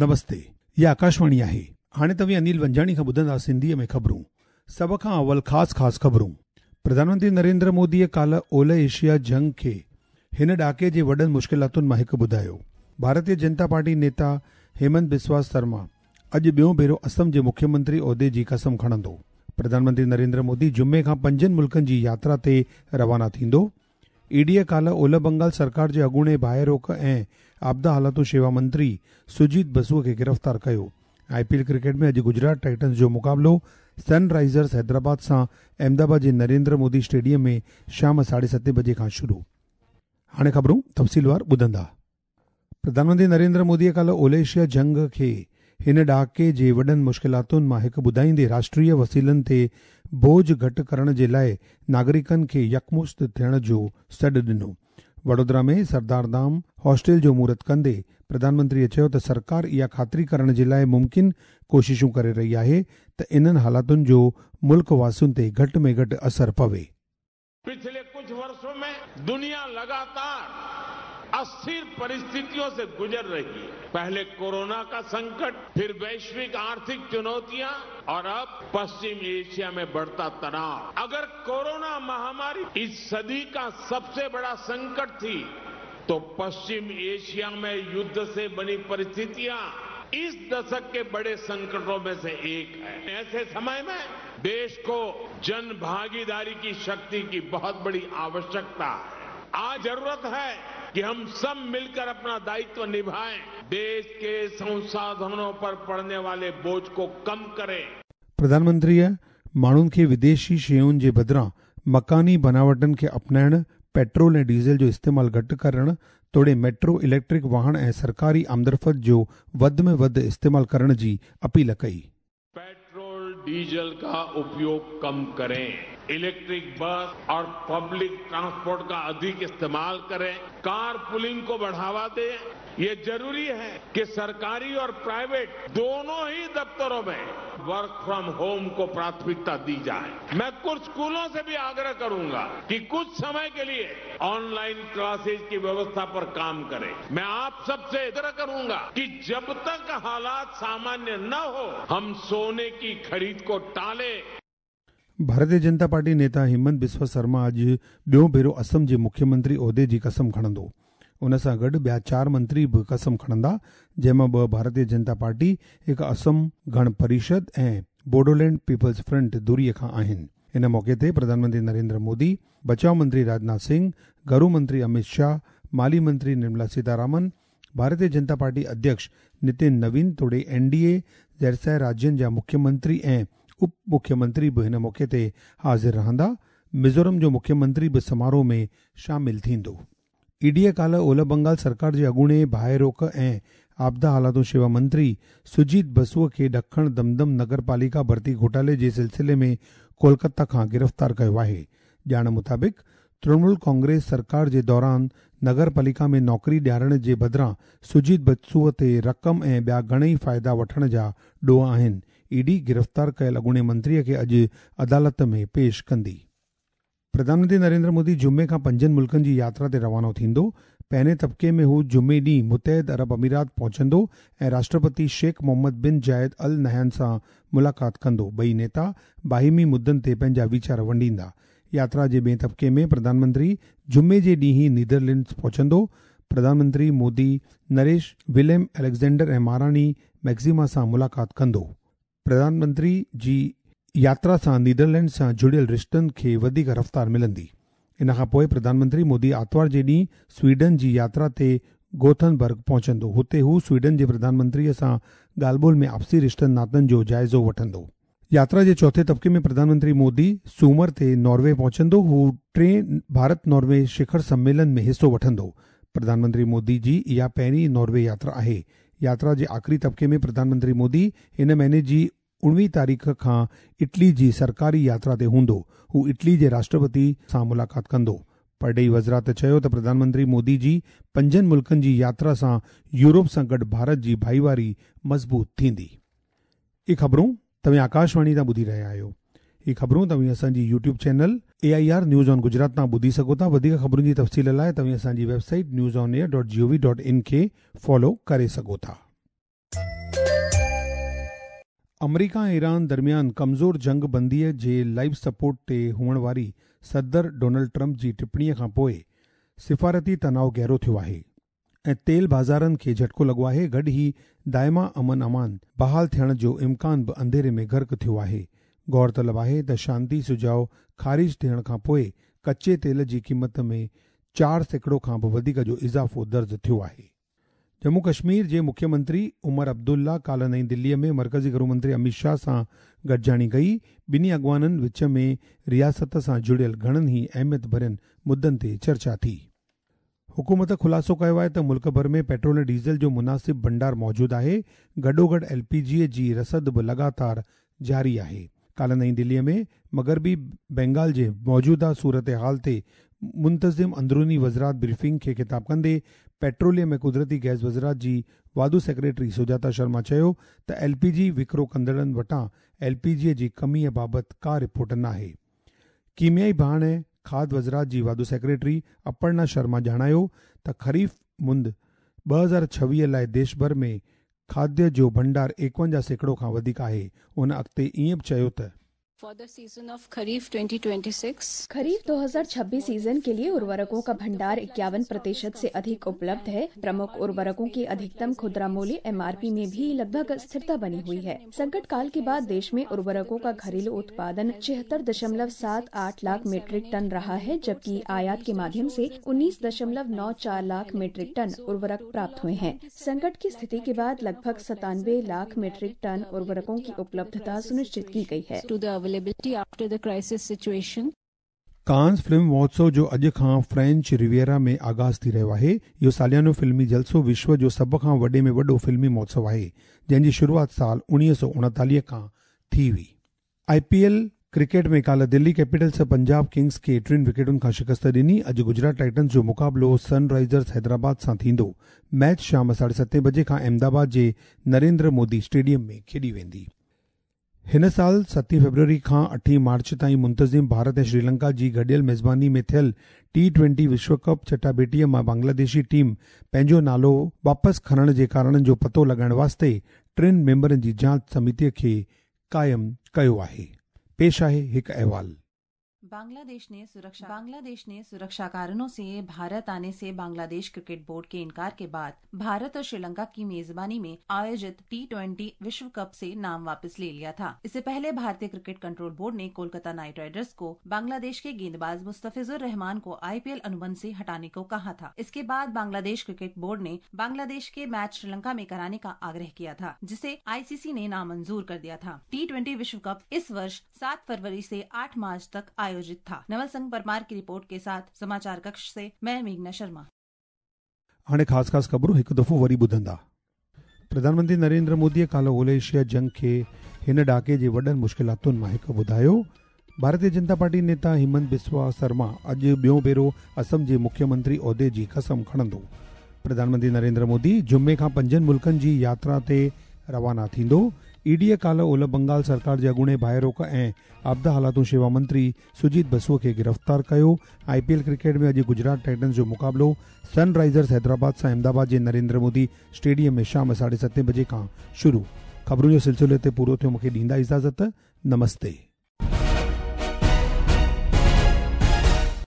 نمستي، هي آڪاشواڻي آهي. هاڻي توهين انيل ونجاڻي کان ٻڌندا سنڌيء ۾ خبرون. سڀ کان اول خاص خاص خبرون. پرڌان منتري نريندر موديء ڪالهه اولهه ايشيا جنگ کي هن ڏهاڪي جي وڏن مشڪلاتن مان هڪ ٻڌايو. ڀارتيه جنتا پارٽي نيتا هيمنت بسوا سرما اڄ ٻيون ڀيرو اسم جي مکيه منتري عهدي جي قسم کڻندو. پرڌان منتري نريندر مودي جمعي کان پنجن ملڪن جي ياترا تي روانا ٿيندو. اي ڊيء ڪالهه اولهه بنگال سرڪار جي اڳوڻي باهه روڪ ۽ آپدا حالتون شيوا منتري سجيت بسو کي گرفتار ڪيو. آء پي ايل ڪرڪيٽ ۾ اڄ گجرات ٽائٽنز جو مقابلو سن رائيزرز حيدرآباد سان احمدآباد جي نريندر مودي اسٽيڊيم ۾ شام ساڍي ستين بجي کان شروع. هاڻي خبرون تفصيلوار ٻڌندا. پرڌان منتري نريندر موديء ڪالهه اولهه ايشيا جنگ کي هن ڏهاڪي جي وڏن مشڪلاتن مان هڪ ٻڌائيندي راشٽريه وسيلن تي بوجهه گهٽ ڪرڻ جي لاء ناگرڪن کي يڪمشت ٿيڻ جو سڏ ڏنو. وڊودرا ۾ سردار ڌام هاسٽل جو مهورت ڪندي پرڌان منتريء چيو ته سرڪار اها خاطري ڪرڻ جي لاء ممڪن ڪوششون ڪري رهي آهي ته انهن حالاتن جو ملڪ واسين تي گهٽ ۾ گهٽ اثر پوي. पिछले कुछ वर्षों में दुनिया लगातार अस्थिर परिस्थितियों से गुजर रही है। पहले कोरोना का संकट, फिर वैश्विक आर्थिक चुनौतियां और अब पश्चिम एशिया में बढ़ता तनाव। अगर कोरोना महामारी इस सदी का सबसे बड़ा संकट थी, तो पश्चिम एशिया में युद्ध से बनी परिस्थितियां इस दशक के बड़े संकटों में से एक है। ऐसे समय में देश को जन भागीदारी की शक्ति की बहुत बड़ी आवश्यकता है। आज जरूरत है कि हम सब मिलकर अपना दायित्व निभाएं, देश के संसाधनों पर पड़ने वाले बोझ को कम करें। प्रधानमंत्रीअ माण्हुनि खे विदेशी शयुनि जे बदिरां मकानी बनावटनि खे अपनाइण, पेट्रोल ऐं डीज़ल जो इस्तेमालु घटि करण तोड़े मेट्रो, इलेक्ट्रिक वाहण ऐं सरकारी आमदरफ़्त जो वधि में वधि इस्तेमालु करण जी अपील कई। पेट्रोल डीजल का उपयोग कम करें, इलेक्ट्रिक बस और पब्लिक ट्रांसपोर्ट का अधिक इस्तेमाल करें, कार पूलिंग को बढ़ावा दें। ये जरूरी है कि सरकारी और प्राइवेट दोनों ही दफ्तरों में वर्क फ्रॉम होम को प्राथमिकता दी जाए। मैं कुछ स्कूलों से भी आग्रह करूंगा कि कुछ समय के लिए ऑनलाइन क्लासेज की व्यवस्था पर काम करें। मैं आप सबसे आग्रह करूंगा कि जब तक हालात सामान्य न हो, हम सोने की खरीद को टालें। भारतीय जनता पार्टी नेता हेमंत बिस्वा शर्मा अॼु ॿियो भेरो असम जे मुख्यमंत्री उहिदे जी कसम खणंदो। उन सां गॾु ॿिया चारि मंत्री बि कसम खणंदा, जंहिं मां ॿ भारतीय जनता पार्टी, हिकु असम गण परिषद ऐं बोडोलैंड पीपल्स फ्रंट धुरीअ खां आहिनि। इन मौक़े ते प्रधानमंत्री नरेंद्र मोदी, बचाव मंत्री राजनाथ सिंह, घरू मंत्री अमित शाह, माली मंत्री निर्मला सीतारामन, भारतीय जनता पार्टी अध्यक्ष नितिन नवीन तोड़े एनडीए ज़ेरसाए राज्यनि जा मुख्यमंत्री ऐं उप मुख्यमंत्री बि हिन मौक़े ते हाज़िर रहंदा। मिज़ोरम जो मुख्यमंत्री बि समारोह में शामिल थींदो। ईडीअ काल्ह ओलह बंगाल सरकार जे अॻूणे बाहि रोक ऐं आपदा हालातूं शेवा मंत्री सुजीत बसुअ खे ॾखण दमदम नगर पालिका भर्ती घोटाले जे सिलसिले में कोलकाता खां गिरफ़्तार कयो आहे। ॼाण मुताबिक़ तृणमूल कांग्रेस सरकार जे दौरान नगर पालिका में नौकरी ॾियारण जे बदिरां सुजीत बसुअ ते रक़म ऐं ॿिया घणेई फ़ाइदा वठण जा ॾोह आहिनि। ईडी गिरफ़्तार कयल अॻूणे मंत्रीअ खे अॼु अदालत में पेश कंदी। प्रधानमंत्री नरेंद्र मोदी जुमे खां पंजनि मुल्कनि जी यात्रा ते रवानो थींदो। पहिरें तबिके में हू जुमे ॾींहुं मुतहिद अरब अमीरात पहुचंदो ऐं राष्ट्रपति शेख मोहम्मद बिन जायद अल नहयान सां मुलाक़ात कंदो। ॿई नेता बाहिमी मुद्दनि ते पंहिंजा वीचार वंडींदा। यात्रा जे ॿिए तबिके में प्रधानमंत्री जुमे जे ॾींहुं नीदरलैंड्स पहुचंदो। प्रधानमंत्री मोदी नरेश विलियम अलेक्ज़ेंडर ऐं महारानी मैक्सिमा सां मुलाक़ात कंदो। प्रधानमंत्री जी यात्रा सां नीदरलैंड सां जुड़ियल रिश्तनि खे वधीक रफ़्तार मिलंदी। इन खां पोइ प्रधानमंत्री मोदी आतिवार जे ॾींहुं स्वीडन जी यात्रा ते गोथनबर्ग पहुचंदो। हुते हू स्वीडन जे प्रधानमंत्रीअ सां ॻाल्हि ॿोल में आपसी रिश्तनि नातनि जो जाइज़ो वठंदो। यात्रा जे चौथे तबिके में प्रधानमंत्री मोदी सूमर ते नॉर्वे पहुचंदो। हू टे भारत नॉर्वे शिखर सम्मेलन में हिसो वठंदो। प्रधानमंत्री मोदी जी इहा पहिरीं नॉर्वे यात्रा आहे। यात्रा जे आख़िरी तबिके में प्रधानमंत्री मोदी हिन महीने जी 19 तारीख़ खां इटली जी सरकारी यात्रा ते हूंदो। हू इटली जे राष्ट्रपति सां मुलाक़ात कंदो। परॾेही वज़ारत चयो त प्रधानमंत्री मोदी जी पंजनि मुल्कनि जी यात्रा सां यूरोप सां गॾु भारत जी भाईवारी मज़बूत थींदी। इहे ख़बरूं तव्हीं आकाशवाणी तां ॿुधी रहिया आहियो। इहे ख़बरूं तव्हीं असांजी YouTube channel AIR news on Gujarat तां ॿुधी सघो था। वधीक ख़बरुनि जी तफ़सील लाइ तव्हीं असांजी वेबसाइट newsonair.gov.in खे फॉलो करे सघो था। آمريڪا ۽ ايران درميان ڪمزور جنگ بنديء جي لائيف سپورٽ تي هئڻ واري صدر ڊونلڊ ٽرمپ جي ٽپڻيء کان پوء سفارتي تناء گهرو ٿيو آهي ۽ تيل بازارن کي جهٽڪو لڳو آهي، گڏ ئي دائما امن امان بحال ٿيڻ جو امڪان به انڌيري ۾ غرق ٿيو آهي. غور طلب آهي ته شانتي سجهاء خارج ٿيڻ کان پوء ڪچي تيل جي قيمت ۾ 4% کان به وڌيڪ جو اضافو درج ٿيو آهي. ڄمون ڪشمير جي مکيه منتري عمر عبدالله ڪالهه نئين دلي ۾ مرڪزي گهرو منتري اميت شاهه سان گڏجاڻي ڪئي. ٻنهي اڳواڻن وچ ۾ رياست سان جڙيل گهڻن ئي اهميت ڀرين مدن تي چرچا ٿي. حڪومت خلاصو ڪيو آهي ته ملڪ ڀر ۾ پيٽرول ۽ ڊيزل جو مناسب ڀنڊار موجود آهي، گڏوگڏ ايل پي جي جي رسد به لڳاتار جاري آهي. ڪالهه نئين دلي ۾ مغربي بينگال جي موجوده صورتحال تي منتظم اندروني وزارت بريفنگ کي خطاب ڪندي پيٽروليم ۽ قدرتي گئس وزارت جي واڌو سيڪريٽري سجاتا شرما چيو ته ايل پي جي وڪرو ڪندڙن وٽان ايل پي جي جي ڪمي بابت ڪا رپورٽ ناهي. ڪيميائي ڀاڻ ۽ کاڌ وزارت جي واڌو سيڪريٽري اپرنا شرما ڄاڻايو ته خريف مند 2026 لاء ديش ڀر ۾ کاڌ جو ڀنڊار 51% کان وڌيڪ آهي. ان اڳتي ائين به چيو ته. For the season of Kharif 2026. Kharif 2026 season के लिए उर्वरकों का भंडार 51% से अधिक उपलब्ध है। प्रमुख उर्वरकों के अधिकतम खुदरा मूल्य एमआरपी में भी लगभग स्थिरता बनी हुई है। संकट काल के बाद देश में उर्वरकों का घरेलू उत्पादन 76.78 लाख मीट्रिक टन रहा है, जबकि आयात के माध्यम से 19.94 लाख मीट्रिक टन उर्वरक प्राप्त हुए हैं। संकट की स्थिति के बाद लगभग 97 लाख मीट्रिक टन उर्वरकों की उपलब्धता सुनिश्चित की गई है। To the availability after the crisis situation. Cannes film महोत्सव जो अॼु खां फ्रेंच रिवियरा में आगाज़ थी रहियो आहे। इहो सालियानो फ़िल्मी जलसो विश्व जो सभ खां वॾे में वॾो फ़िल्मी महोत्सव आहे, जंहिंजी शुरूआत साल 1939 खां थी हुई। आईपीएल क्रिकेट में काल्ह दिल्ली कैपिटल्स पंजाब किंग्स खे 3 विकेटुनि खां शिकस्त ॾिनी। अॼु गुजरात टाइटन्स जो मुक़ाबिलो सनराइज़र्स हैदराबाद सां थींदो। मैच शाम 7:30 बजे खां अहमदाबाद जे नरेंद्र मोदी स्टेडियम में खेॾी वेंदी। हिन साल 7 फ़रवरी खां 8 मार्च ताईं मुंतज़िम भारत ऐं श्रीलंका जी गॾियल मेज़बानी में थियल टी20 विश्व कप चटाभेटीअ मां बांग्लादेशी टीम पंहिंजो नालो वापसि खणण जे कारणनि जो पतो लॻाइण वास्ते 3 मेंबरनि जी जांच समितीअ खे क़ाइमु कयो आहे। पेश आहे हिकु अहवाल। बांग्लादेश ने सुरक्षा कारणों से भारत आने से बांग्लादेश क्रिकेट बोर्ड के इनकार के बाद भारत और श्रीलंका की मेजबानी में आयोजित टी20 विश्व कप से नाम वापस ले लिया था। इससे पहले भारतीय क्रिकेट कंट्रोल बोर्ड ने कोलकाता नाइट राइडर्स को बांग्लादेश के गेंदबाज मुस्तफिजुर रहमान को आईपीएल अनुबंध से हटाने को कहा था। इसके बाद बांग्लादेश क्रिकेट बोर्ड ने बांग्लादेश के मैच श्रीलंका में कराने का आग्रह किया था, जिसे आईसीसी ने नामंजूर कर दिया था। टी20 विश्व कप इस वर्ष 7 फरवरी से 8 मार्च तक आयोजित था। नवल संघ परमार की रिपोर्ट के साथ समाचार कक्ष से मैं मेघना शर्मा। हाणे ख़ासि ख़ासि ख़बरूं हिकु दफ़ो वरी ॿुधंदा। प्रधानमंत्री नरेंद्र मोदीअ काल्ह ओले एशिया जंग खे हिन ॾहाके जे वॾनि मुश्किलातुनि मां हिकु ॿुधायो। भारतीय जनता पार्टी नेता हिमंत बिस्वा शर्मा अॼु ॿियो भेरो असम जे मुख्यमंत्री उहिदे जी कसम खणंदो। प्रधानमंत्री नरेंद्र मोदी जुमे खां 5 मुल्कनि जी यात्रा ते रवाना थींदो। ईडीअ काल्ह ओलह बंगाल सरकार जे अॻूणे भाइरोक ऐं आपदा हालातुनि शेवा मंत्री सुजीत बसुअ खे गिरफ़्तार कयो। आईपीएल क्रिकेट में अॼु गुजरात टाइटन्स जो मुक़ाबिलो सनराइज़र्स हैदराबाद सां अहमदाबाद जे नरेंद्र मोदी स्टेडियम में शाम 7:30 बजे खां शुरू। ख़बरुनि जो सिलसिलो हिते पूरो थियो। मूंखे ॾींदा इजाज़त। नमस्ते।